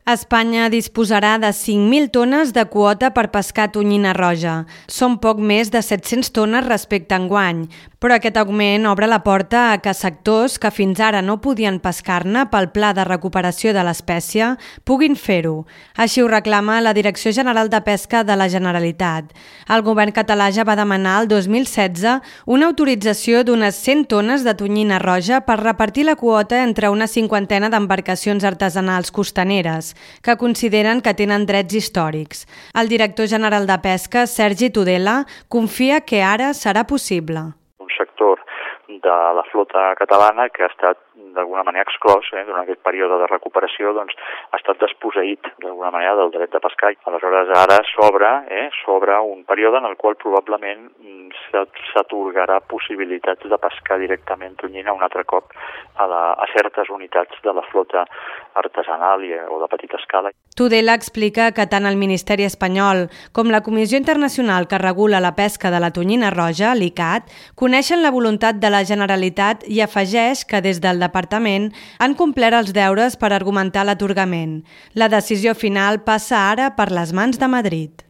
Espanya disposarà de 5.000 tones de quota per pescar tonyina roja. Són poc més de 700 tones respecte a enguany, però aquest augment obre la porta a que sectors que fins ara no podien pescar-ne pel Pla de Recuperació de l'Espècie puguin fer-ho. Així ho reclama la Direcció General de Pesca de la Generalitat. El govern català ja va demanar el 2016 una autorització d'unes 100 tones de tonyina roja per repartir la quota entre una cinquantena d'embarcacions artesanals costaneres, que consideren que tenen drets històrics. El director general de Pesca, Sergi Tudela, confia que ara serà possible. Un sector de la flota catalana que ha estat d'alguna manera exclòs durant aquest període de recuperació, ha estat desposseït d'alguna manera del dret de pescar. Aleshores ara s'obre un període en el qual probablement s'atorgarà possibilitats de pescar directament tonyina un altre cop a certes unitats de la flota artesanal o de petita escala. Tudela explica que tant el Ministeri espanyol com la Comissió Internacional que regula la pesca de la tonyina roja, l'ICCAT, coneixen la voluntat de la Generalitat i afegeix que des del Departament han complert els deures per argumentar l'atorgament. La decisió final passa ara per les mans de Madrid.